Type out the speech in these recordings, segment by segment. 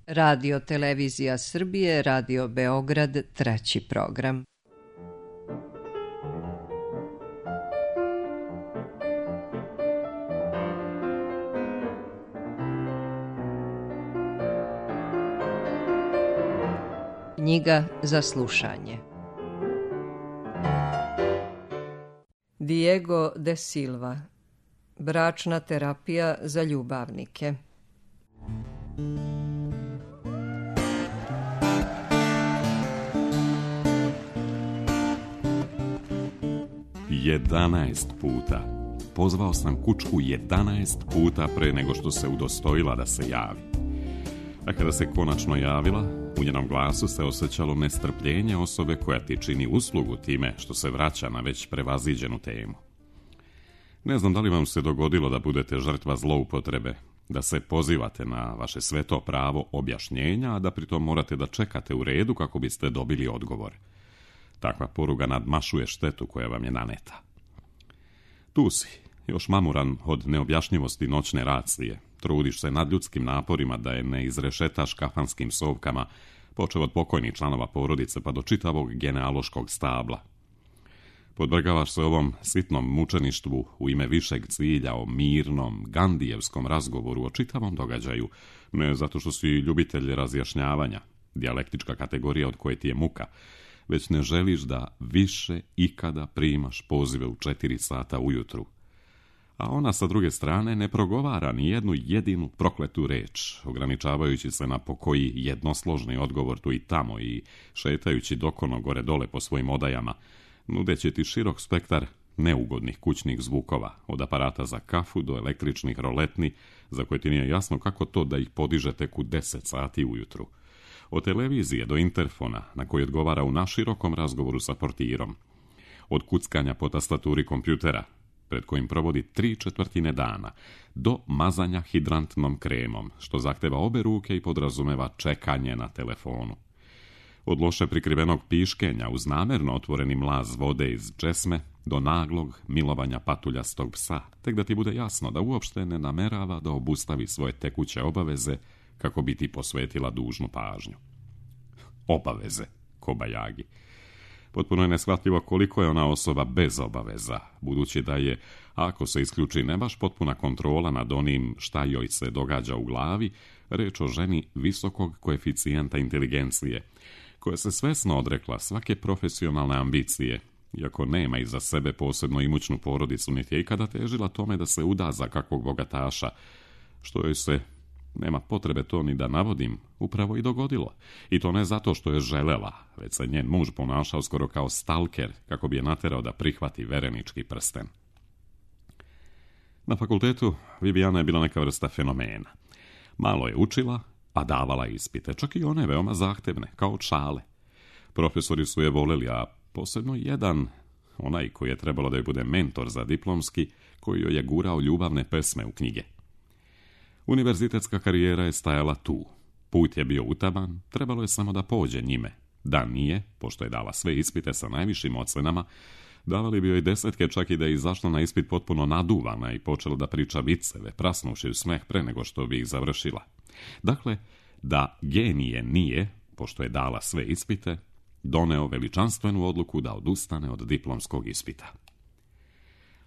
Radio Televizija Srbije, Radio Beograd, 3. program. Knjiga za slušanje. Diego de Silva. Bračna terapija za ljubavnike. 11 puta. Pozvao sam kučku 11 puta pre nego što se udostojila da se javi. A kada se konačno javila, u njenom glasu se osjećalo nestrpljenje osobe koja ti čini uslugu time što se vraća na već prevaziđenu temu. Ne znam da li vam se dogodilo da budete žrtva zloupotrebe, da se pozivate na vaše sveto pravo objašnjenja, a da pritom morate da čekate u redu kako biste dobili odgovor. Takva poruga nadmašuje štetu koja vam je naneta. Tu si, još mamuran od neobjašnjivosti noćne racije. Trudiš se nad ljudskim naporima da je ne izrešetaš kafanskim sovkama, počev od pokojnih članova porodice pa do čitavog genealoškog stabla. Podvrgavaš se ovom sitnom mučeništvu u ime višeg cilja o mirnom, gandijevskom razgovoru o čitavom događaju, ne zato što si ljubitelj razjašnjavanja, dijalektička kategorija od koje ti je muka, već ne želiš da više ikada primaš pozive u 4 sata ujutru. A ona sa druge strane ne progovara ni jednu jedinu prokletu reč, ograničavajući se na pokoji jednosložni odgovor tu i tamo i šetajući dokono gore dole po svojim odajama, nudeći ti širok spektar neugodnih kućnih zvukova, od aparata za kafu do električnih roletni, za koje ti nije jasno kako to da ih podiže tek u 10 sati ujutru. Od televizije do interfona, na koji odgovara u naširokom razgovoru sa portirom. Od kuckanja po tastaturi kompjutera, pred kojim provodi 3/4 dana, do mazanja hidrantnom kremom, što zahteva obe ruke i podrazumeva čekanje na telefonu. Od loše prikrivenog piškenja uz namerno otvoreni mlaz vode iz česme do naglog milovanja patuljastog psa, tek da ti bude jasno da uopšte ne namerava da obustavi svoje tekuće obaveze kako bi ti posvetila dužnu pažnju. Obaveze, kobajagi. Potpuno je neshvatljivo koliko je ona osoba bez obaveza, budući da je, ako se isključi ne baš potpuna kontrola nad onim šta joj se događa u glavi, reč o ženi visokog koeficijenta inteligencije, koja se svesno odrekla svake profesionalne ambicije, iako nema iza sebe posebno imućnu porodicu, niti je ikada težila tome da se uda za kakvog bogataša, što joj se, nema potrebe to ni da navodim, upravo i dogodilo. I to ne zato što je želela, već se njen muž ponašao skoro kao stalker, kako bi je naterao da prihvati verenički prsten. Na fakultetu Viviana je bila neka vrsta fenomena. Malo je učila, a davala ispite, čak i one veoma zahtevne, kao šale. Profesori su je voleli, a posebno jedan, onaj koji je trebalo da je bude mentor za diplomski, koji joj je gurao ljubavne pesme u knjige. Univerzitetska karijera je stajala tu. Put je bio utaban, trebalo je samo da pođe njime. Da nije, pošto je dala sve ispite sa najvišim ocenama, davali bi joj 10, čak i da je izašla na ispit potpuno naduvana i počela da priča viceve, prasnuši u smeh pre nego što bi ih završila. Dakle, da genije nije, pošto je dala sve ispite, doneo veličanstvenu odluku da odustane od diplomskog ispita.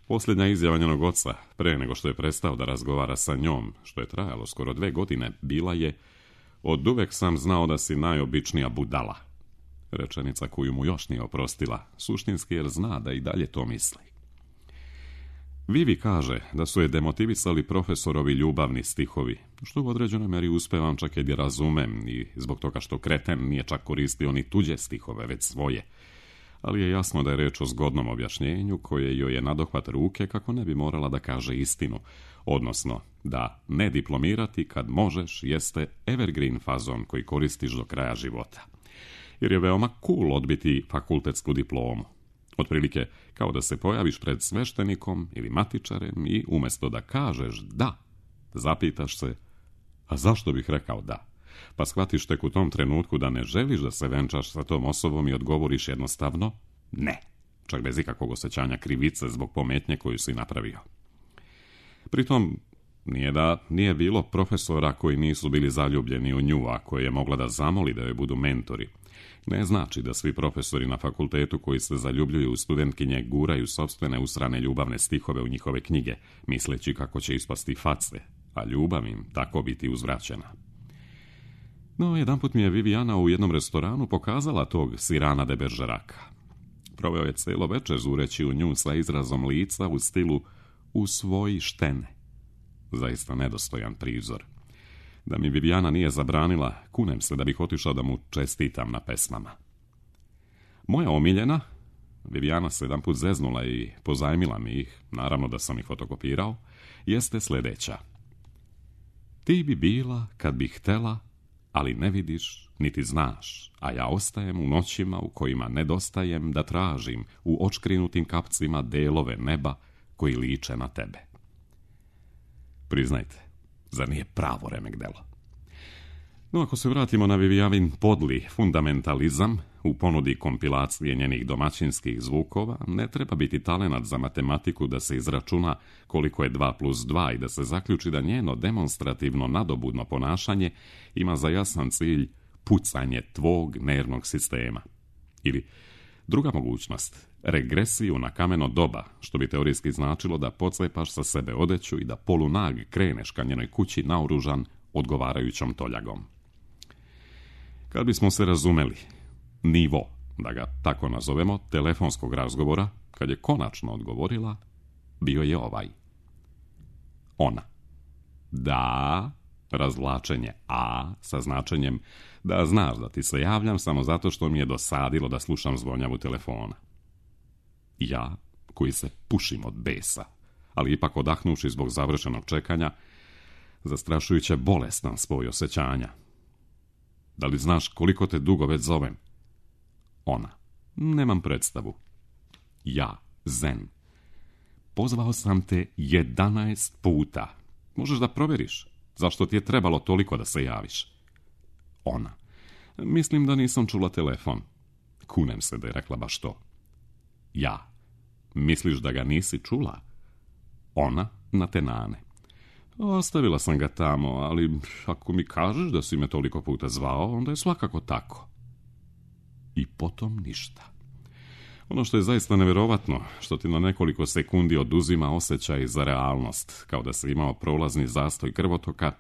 Posljednja izjava njenog oca, pre nego što je prestao da razgovara sa njom, što je trajalo skoro 2 godine, bila je: oduvek sam znao da si najobičnija budala. Rečenica koju mu još nije oprostila, suštinski jer zna da i dalje to misli. Vivi kaže da su je demotivisali profesorovi ljubavni stihovi, što u određenoj meri uspevam čak i da razumem, i zbog toga što kreten nije čak koristio ni tuđe stihove, već svoje. Ali je jasno da je reč o zgodnom objašnjenju koje joj je nadohvat ruke kako ne bi morala da kaže istinu, odnosno da ne diplomirati kad možeš jeste evergreen fazon koji koristiš do kraja života. Jer je veoma cool odbiti fakultetsku diplomu. Otprilike kao da se pojaviš pred sveštenikom ili matičarem i umjesto da kažeš da, zapitaš se: a zašto bih rekao da? Pa shvatiš tek u tom trenutku da ne želiš da se venčaš sa tom osobom i odgovoriš jednostavno ne, čak bez ikakvog osjećanja krivice zbog pometnje koju si napravio. Pritom, Nije da nije bilo profesora koji nisu bili zaljubljeni u nju, a koje je mogla da zamoli da joj budu mentori. Ne znači da svi profesori na fakultetu koji se zaljubljuju u studentkinje guraju sopstvene usrane ljubavne stihove u njihove knjige, misleći kako će ispasti face, a ljubav im tako biti uzvraćena. No, jedanput mi je Viviana u jednom restoranu pokazala tog Cyrana de Bergeraka. Proveo je cijelo večer zureći u nju sa izrazom lica u stilu usvoji štene. Zaista nedostojan prizor. Da mi Viviana nije zabranila, kunem se da bih otišao da mu čestitam na pesmama. Moja omiljena, Viviana se jedanput zeznula i pozajmila mi ih, naravno da sam ih fotokopirao, jeste sljedeća. Ti bi bila kad bih htela, ali ne vidiš niti znaš, a ja ostajem u noćima u kojima nedostajem da tražim u očkrinutim kapcima delove neba koji liče na tebe. Priznajte, zar nije pravo remek delo? No, ako se vratimo na Vivianin podli fundamentalizam u ponudi kompilacije njenih domaćinskih zvukova, ne treba biti talenat za matematiku da se izračuna koliko je 2 plus 2 i da se zaključi da njeno demonstrativno nadobudno ponašanje ima za jasan cilj pucanje tvog nervnog sistema. Ili druga mogućnost, regresiju na kameno doba, što bi teorijski značilo da pocepaš sa sebe odeću i da polunag kreneš ka njenoj kući naoružan odgovarajućom toljagom. Kad bismo se razumeli, nivo, da ga tako nazovemo, telefonskog razgovora, kad je konačno odgovorila, bio je ovaj. Ona. Da, razvlačenje a sa značenjem da znaš da ti se javljam samo zato što mi je dosadilo da slušam zvonjavu telefona. Ja, koji se pušim od besa, ali ipak odahnuši zbog završenog čekanja, zastrašujuće bolestan spoj osjećanja. Da li znaš koliko te dugo već zovem? Ona. Nemam predstavu. Ja, Zen. Pozvao sam te 11 puta. Možeš da provjeriš. Zašto ti je trebalo toliko da se javiš? Ona. Mislim da nisam čula telefon. Kunem se da je rekla baš to. Ja. Misliš da ga nisi čula? Ona na tenane. Ostavila sam ga tamo, ali ako mi kažeš da si me toliko puta zvao, onda je svakako tako. I potom ništa. Ono što je zaista nevjerovatno, što ti na nekoliko sekundi oduzima osjećaj za realnost, kao da si imao prolazni zastoj krvotoka,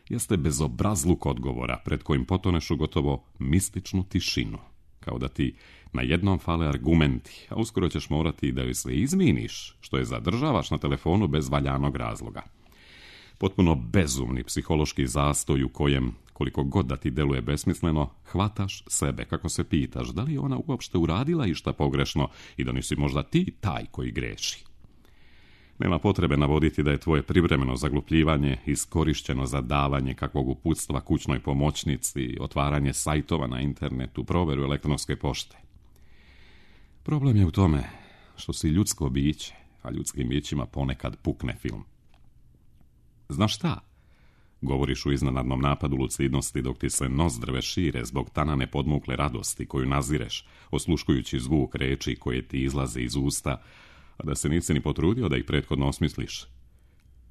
jeste bezobrazluk odgovora pred kojim potoneš u gotovo mističnu tišinu, kao da ti na jednom fale argumenti, a uskoro ćeš morati da joj sve izminiš, što je zadržavaš na telefonu bez valjanog razloga. Potpuno bezumni psihološki zastoj u kojem, koliko god da ti deluje besmisleno, hvataš sebe kako se pitaš da li je ona uopšte uradila išta pogrešno i da nisi možda ti taj koji greši. Nema potrebe navoditi da je tvoje privremeno zaglupljivanje iskorišćeno za davanje kakvog uputstva kućnoj pomoćnici, otvaranje sajtova na internetu, proveru elektronske pošte. Problem je u tome što si ljudsko biće, a ljudskim bićima ponekad pukne film. Znaš šta? Govoriš u iznenadnom napadu lucidnosti dok ti se nozdrve šire zbog tanane podmukle radosti koju nazireš, osluškujući zvuk reči koje ti izlaze iz usta, a da se nisi ni potrudio da ih prethodno osmisliš.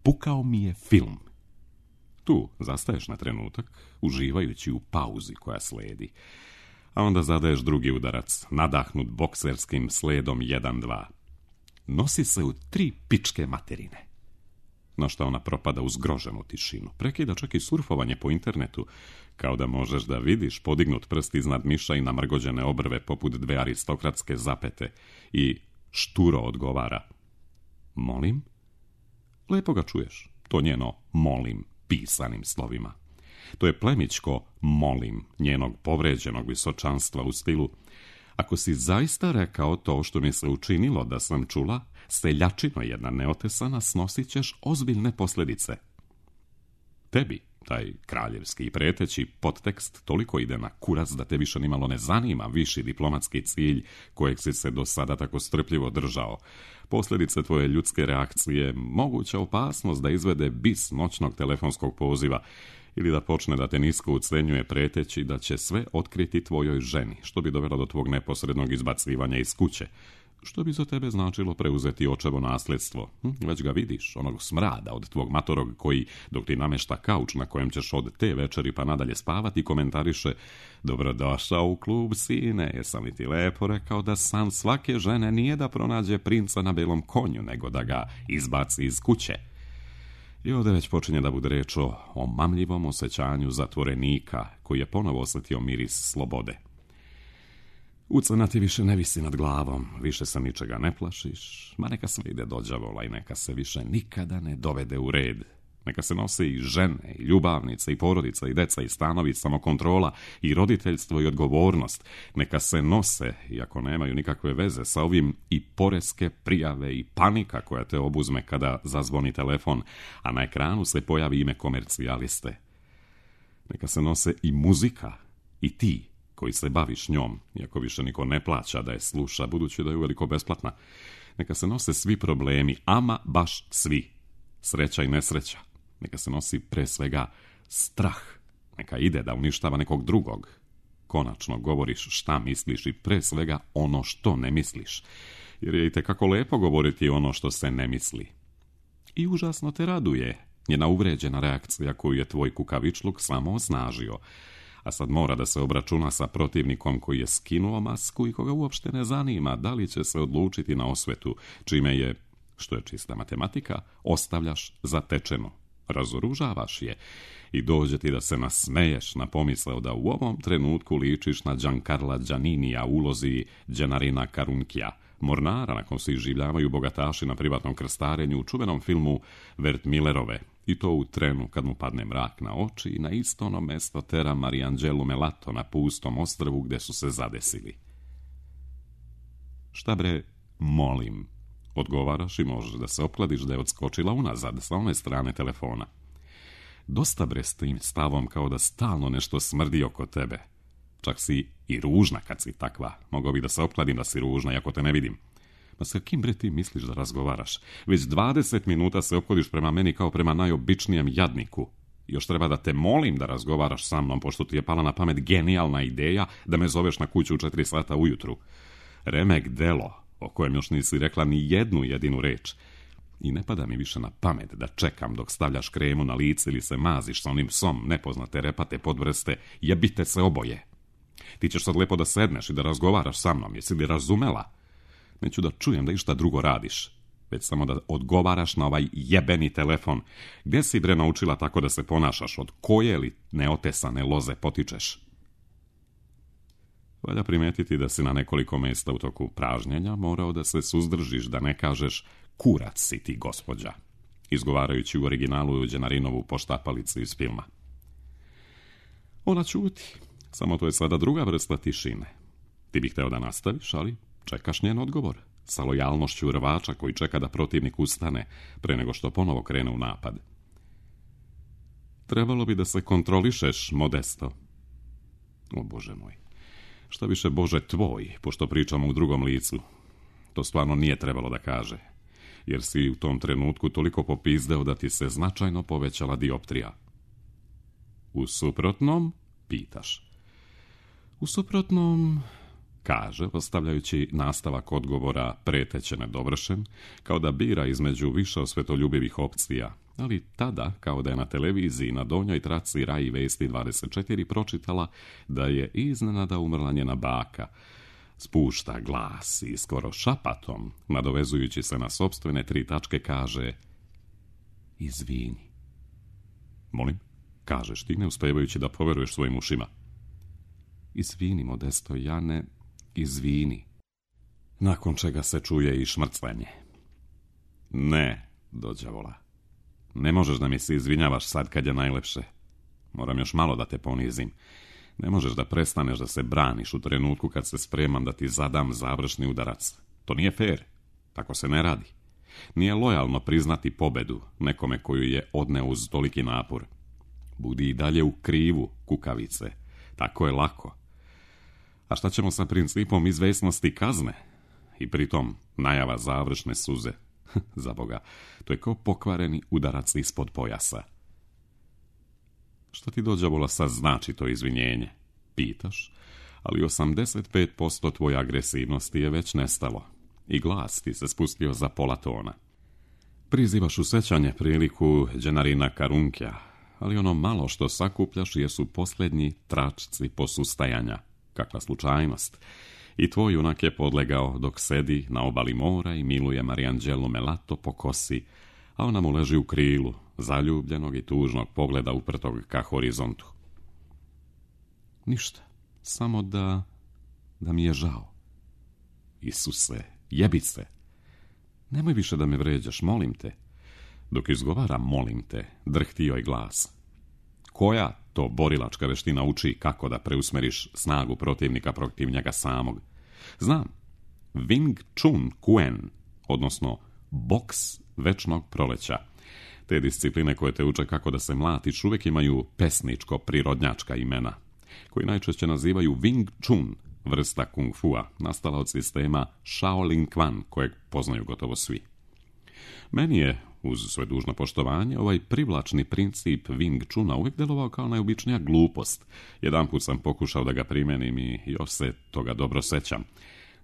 Pukao mi je film. Tu zastaješ na trenutak, uživajući u pauzi koja sledi, a onda zadaješ drugi udarac, nadahnut bokserskim sledom 1-2. Nosi se u 3 pičke materine. Na što ona propada u zgroženu tišinu. Prekida čak i surfovanje po internetu, kao da možeš da vidiš podignut prst iznad miša i namrgođene obrve poput 2 aristokratske zapete i šturo odgovara. Molim? Lepo ga čuješ. To njeno molim pisanim slovima. To je plemićko molim njenog povređenog visočanstva u stilu: ako si zaista rekao to što mi se učinilo da sam čula, seljačino jedna neotesana, snosit ćeš ozbiljne posljedice. Tebi, taj kraljevski i preteći podtekst toliko ide na kurac da te više nimalo ne zanima viši diplomatski cilj kojeg si se do sada tako strpljivo držao. Posljedice tvoje ljudske reakcije, moguća opasnost da izvede bis noćnog telefonskog poziva ili da počne da te nisko ucenjuje preteći da će sve otkriti tvojoj ženi, što bi dovelo do tvog neposrednog izbacivanja iz kuće, Što bi za tebe značilo preuzeti očevo nasljedstvo? Već ga vidiš, onog smrada od tvog matorog koji, dok ti namešta kauč na kojem ćeš od te večeri pa nadalje spavati, komentariše: dobrodošao u klub, sine, jesam li ti lepo rekao da san svake žene nije da pronađe princa na belom konju, nego da ga izbaci iz kuće. I ovdje već počinje da bude reč o mamljivom osjećanju zatvorenika koji je ponovo osjetio miris slobode. Ucena ti više ne visi nad glavom, više se ničega ne plašiš, ma neka sve ide do đavola i neka se više nikada ne dovede u red. Neka se nose i žene, i ljubavnice, i porodica, i deca, i stanovi, i samokontrola, i roditeljstvo, i odgovornost. Neka se nose, iako nemaju nikakve veze sa ovim, i poreske prijave, i panika koja te obuzme kada zazvoni telefon, a na ekranu se pojavi ime komercijaliste. Neka se nose i muzika, i ti koji se baviš njom, iako više niko ne plaća da je sluša, budući da je uveliko besplatna. Neka se nose svi problemi, ama baš svi. Sreća i nesreća. Neka se nosi pre svega strah. Neka ide da uništava nekog drugog. Konačno govoriš šta misliš i pre svega ono što ne misliš. Jer je itekako lepo govoriti ono što se ne misli. I užasno te raduje njena uvređena reakcija koju je tvoj kukavičluk samo osnažio. A sad mora da se obračuna sa protivnikom koji je skinuo masku i koga uopšte ne zanima da li će se odlučiti na osvetu, čime je, što je čista matematika, ostavljaš zatečeno. Razoružavaš je i dođe ti da se nasmeješ na pomisao da u ovom trenutku ličiš na Giancarla Gianninija u ulozi Gennarina Carunkija, mornara na kom se iživljavaju bogataši na privatnom krstarenju u čuvenom filmu Wertmüllerove, i to u trenu kad mu padne mrak na oči i na isto ono mesto tera Mariangelu Melato na pustom ostrvu gde su se zadesili. Šta bre, molim, odgovaraš i možeš da se opkladiš da je odskočila unazad sa one strane telefona. Dosta bre s tim stavom kao da stalno nešto smrdi oko tebe. Čak si i ružna kad si takva. Mogao bi da se opkladim da si ružna, iako te ne vidim. Ma sa kim bre ti misliš da razgovaraš? Već 20 minuta se ophodiš prema meni kao prema najobičnijem jadniku. Još treba da te molim da razgovaraš sa mnom, pošto ti je pala na pamet genijalna ideja da me zoveš na kuću u 4 sata ujutru. Remek delo, o kojem još nisi rekla ni jednu jedinu reč. I ne pada mi više na pamet da čekam dok stavljaš kremu na lice ili se maziš sa onim psom nepoznate repate podvrste, jebite se oboje. Ti ćeš sad lepo da sedneš i da razgovaraš sa mnom, jesi li razumela? Neću da čujem da išta drugo radiš, već samo da odgovaraš na ovaj jebeni telefon. Gdje si bre naučila tako da se ponašaš? Od koje li neotesane loze potičeš? Valja primetiti da si na nekoliko mjesta u toku pražnjenja morao da se suzdržiš da ne kažeš kurac si ti, gospođa, izgovarajući u originalu Gennarinovu poštapalicu iz filma. Ona ćuti, samo to je sada druga vrsta tišine. Ti bih hteo da nastaviš, ali čekaš njen odgovor, sa lojalnošću rvača koji čeka da protivnik ustane pre nego što ponovo krene u napad. Trebalo bi da se kontrolišeš, Modesto. O Bože moj, šta više Bože tvoj, pošto pričamo u drugom licu. To stvarno nije trebalo da kaže, jer si u tom trenutku toliko popizdeo da ti se značajno povećala dioptrija. U suprotnom, pitaš. U suprotnom, kaže, ostavljajući nastavak odgovora preteće nedovršen, kao da bira između više osvetoljubivih opcija, ali tada, kao da je na televiziji na donjoj traci Rai Vesti 24 pročitala da je iznenada umrla njena baka. Spušta glas i skoro šapatom, nadovezujući se na sopstvene 3 tačke, kaže: izvini. Molim, kažeš ti, ne uspevajući da poveruješ svojim ušima. Izvini, Modesto, Jane, izvini. Nakon čega se čuje i šmrclenje. Ne, do đavola. Ne možeš da mi se izvinjavaš sad kad je najlepše. Moram još malo da te ponizim. Ne možeš da prestaneš da se braniš u trenutku kad se spremam da ti zadam završni udarac. To nije fair. Tako se ne radi. Nije lojalno priznati pobedu nekome koju je odneo uz toliki napor. Budi i dalje u krivu, kukavice. Tako je lako. A šta ćemo sa principom izvesnosti kazne? I pritom najava završne suze. Za Boga, to je kao pokvareni udarac ispod pojasa. Što ti do đavola sad znači to izvinjenje? Pitaš, ali 85% tvoje agresivnosti je već nestalo. i glas ti se spustio za pola tona. Prizivaš u sećanje priliku Đenarina Karunkja, ali ono malo što sakupljaš jesu posljednji tračci posustajanja. Kakva slučajnost. I tvoj junak je podlegao dok sedi na obali mora i miluje Marijanđelu Melato po kosi, a ona mu leži u krilu, zaljubljenog i tužnog pogleda uprtog ka horizontu. Ništa, samo da mi je žao. Isuse, jebi se. Nemoj više da me vređaš, molim te. Dok izgovara molim te, drhtio je glas. Koja to borilačka veština uči kako da preusmeriš snagu protivnika protiv njega samog? Znam, Wing Chun Kuen, odnosno boks večnog proleća. Te discipline koje te uče kako da se mlatiš uvijek imaju pesničko-prirodnjačka imena, koji najčešće nazivaju Wing Chun, vrsta kung fua, nastala od sistema Shaolin Quan, kojeg poznaju gotovo svi. Meni je, uz sve dužno poštovanje, ovaj privlačni princip Wing Chuna uvijek delovao kao najobičnija glupost. Jedanput sam pokušao da ga primenim i još se toga dobro sećam,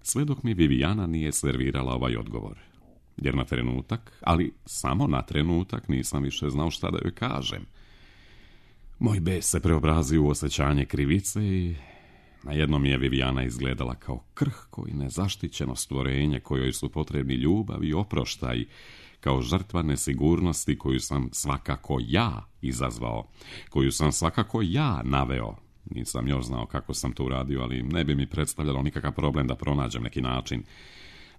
sve dok mi Viviana nije servirala ovaj odgovor. Jer na trenutak, ali samo na trenutak, nisam više znao šta da joj kažem. Moj bes se preobrazio u osjećanje krivice i na jednom je Viviana izgledala kao krhko i nezaštićeno stvorenje kojoj su potrebni ljubav i oproštaj, kao žrtva nesigurnosti koju sam svakako ja izazvao, koju sam svakako ja naveo. Nisam još znao kako sam to uradio, ali ne bi mi predstavljalo nikakav problem da pronađem neki način.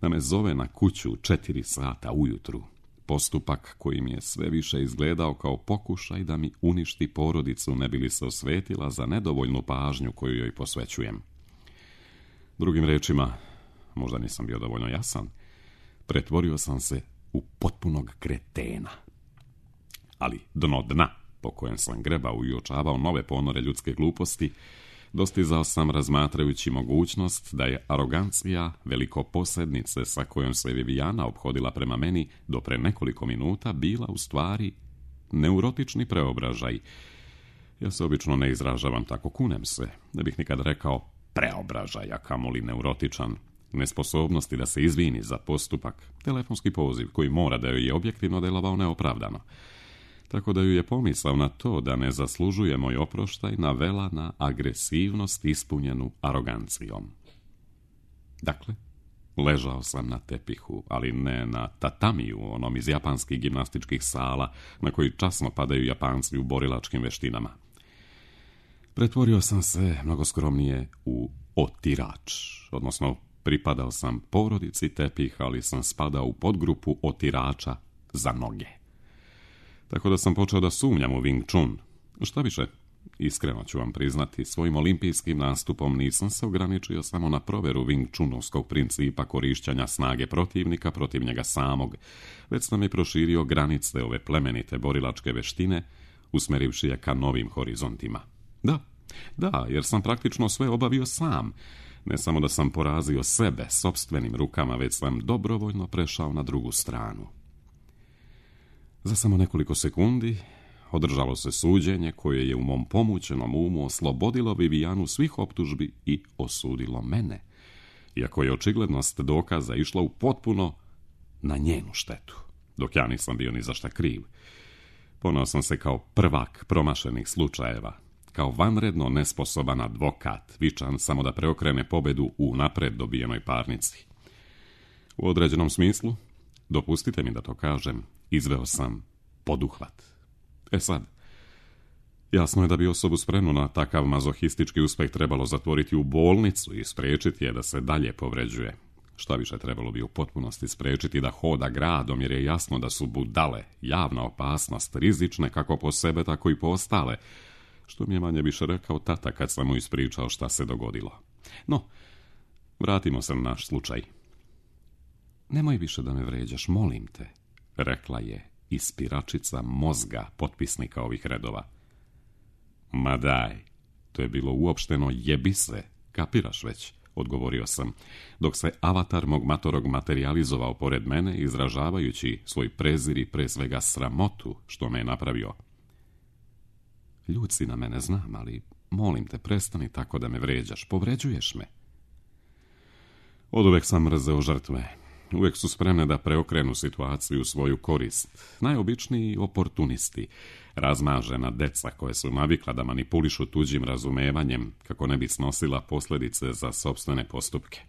Da me zove na kuću 4 sata ujutru. Postupak koji mi je sve više izgledao kao pokušaj da mi uništi porodicu, ne bi li se osvetila za nedovoljnu pažnju koju joj posvećujem. Drugim rečima, možda nisam bio dovoljno jasan, pretvorio sam se u potpunog kretena. Ali dno dna, po kojem sam grebao i uočavao nove ponore ljudske gluposti, dostizao sam razmatrajući mogućnost da je arogancija velikoposednice sa kojom se Viviana ophodila prema meni do pre nekoliko minuta bila u stvari neurotični preobražaj. Ja se obično ne izražavam tako, kunem se. Ne bih nikad rekao preobražaj, a kamoli neurotičan. Nesposobnosti da se izvini za postupak, telefonski poziv koji mora da joj je objektivno delovao neopravdano. Tako da ju je pomisao na to da ne zaslužuje moj oproštaj navela na agresivnost ispunjenu arogancijom. Dakle, ležao sam na tepihu, ali ne na tatamiju, onom iz japanskih gimnastičkih sala na koji časno padaju Japanci u borilačkim veštinama. Pretvorio sam se, mnogo skromnije, u otirač, odnosno pripadao sam porodici tepih, ali sam spadao u podgrupu otirača za noge. Tako da sam počeo da sumnjam u Wing Chun. Šta više, iskreno ću vam priznati, svojim olimpijskim nastupom nisam se ograničio samo na proveru Wing Chunovskog principa korišćanja snage protivnika protiv njega samog, već sam i proširio granice ove plemenite borilačke veštine, usmerivši je ka novim horizontima. Da, jer sam praktično sve obavio sam. Ne samo da sam porazio sebe sopstvenim rukama, već sam dobrovoljno prešao na drugu stranu. Za samo nekoliko sekundi održalo se suđenje koje je u mom pomućenom umu oslobodilo Vivianu svih optužbi i osudilo mene, iako je očiglednost dokaza išla u potpuno na njenu štetu, dok ja nisam bio ni za šta kriv. Poneo sam se kao prvak promašenih slučajeva, kao vanredno nesposoban advokat, vičan samo da preokrene pobedu u napred dobijenoj parnici. U određenom smislu, dopustite mi da to kažem, izveo sam poduhvat. Sad, jasno je da bi osobu spremnu na takav mazohistički uspeh trebalo zatvoriti u bolnicu i spriječiti je da se dalje povređuje. Šta više, trebalo bi u potpunosti spriječiti da hoda gradom, jer je jasno da su budale, javna opasnost, rizične kako po sebe, tako i po ostale, što mi je manje više rekao tata kad sam mu ispričao šta se dogodilo. No, vratimo se na naš slučaj. Nemoj više da me vređaš, molim te, rekla je ispiračica mozga potpisnika ovih redova. Ma daj, to je bilo uopšteno jebi se, kapiraš već, odgovorio sam, dok se avatar mog matorog materijalizovao pored mene, izražavajući svoj prezir i pre svega sramotu što me je napravio. Ljud si na mene, znam, ali molim te, prestani tako da me vređaš, povređuješ me. Oduvek sam mrzeo žrtve. uvijek su spremne da preokrenu situaciju u svoju korist. Najobičniji oportunisti, razmažena deca koje su navikla da manipulišu tuđim razumevanjem kako ne bi snosila posljedice za sopstvene postupke.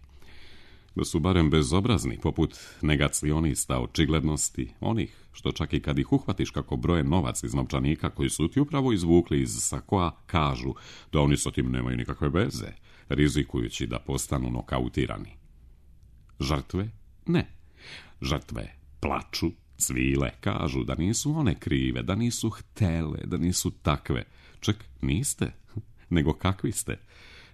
Da su barem bezobrazni, poput negacionista očiglednosti, onih što čak i kad ih uhvatiš kako broje novac iz novčanika koji su ti upravo izvukli iz sakoa, kažu da oni sa tim nemaju nikakve veze, rizikujući da postanu nokautirani. Žrtve? Ne. Žrtve plaču, cvile, kažu da nisu one krive, da nisu htele, da nisu takve. Čak niste, nego kakvi ste.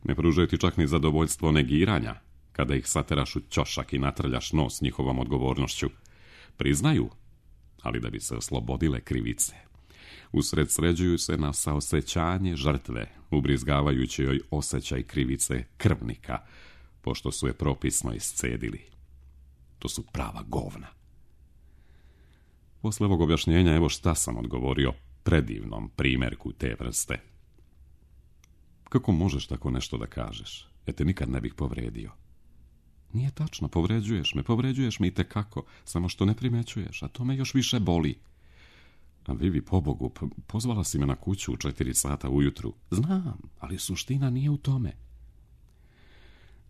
Ne pružaju ti čak ni zadovoljstvo negiranja, kada ih sateraš u ćošak i natrljaš nos njihovom odgovornošću. Priznaju, ali da bi se oslobodile krivice. Usredsređuju se na saosjećanje žrtve, ubrizgavajući joj osjećaj krivice krvnika, pošto su je propisno iscedili. To su prava govna. Posle ovog objašnjenja evo šta sam odgovorio predivnom primjerku te vrste. Kako možeš tako nešto da kažeš? Ja te nikad ne bih povredio. Nije tačno, povređuješ me i tekako, samo što ne primećuješ, a to me još više boli. A Vivi, pobogu, pozvala si me na kuću u 4 sata ujutru. Znam, ali suština nije u tome.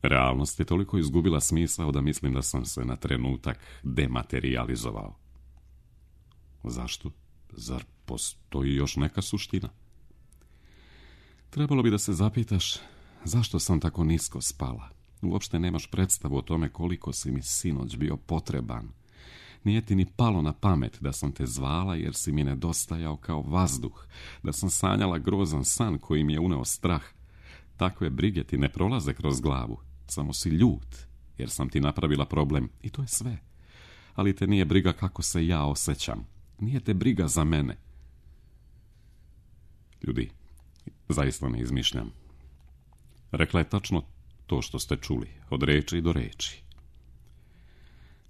Realnost je toliko izgubila smisao da mislim da sam se na trenutak dematerializovao. Zašto? Zar postoji još neka suština? Trebalo bi da se zapitaš zašto sam tako nisko spala. Uopšte nemaš predstavu o tome koliko si mi sinoć bio potreban. Nije ti ni palo na pamet da sam te zvala jer si mi nedostajao kao vazduh, da sam sanjala grozan san koji mi je uneo strah. Takve brige ti ne prolaze kroz glavu, samo si ljut jer sam ti napravila problem i to je sve. Ali te nije briga kako se ja osjećam, nije te briga za mene. Ljudi, zaista ne izmišljam. Rekla je tačno to što ste čuli, od reči do reči.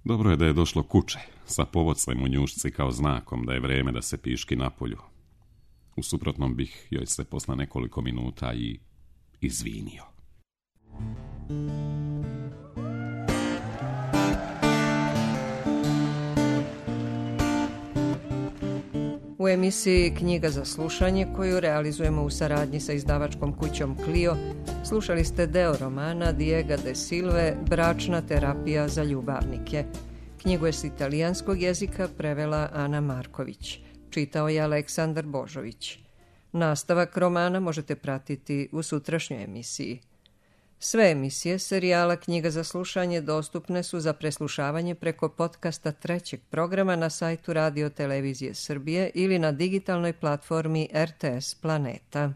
Dobro je da je došlo kuće, sa povocem u njušci kao znakom da je vreme da se piški napolju. U suprotnom bih joj se posle nekoliko minuta i izvinio. U emisiji Knjiga za slušanje, koju realizujemo u saradnji sa izdavačkom kućom Clio, slušali ste deo romana Diega de Silve Bračna terapija za ljubavnike. Knjigu je s italijanskog jezika prevela Ana Marković. Čitao je Aleksandar Božović. Nastavak romana možete pratiti u sutrašnjoj emisiji. Sve emisije serijala Knjiga za slušanje dostupne su za preslušavanje preko podcasta 3. programa na sajtu Radio Televizije Srbije ili na digitalnoj platformi RTS Planeta.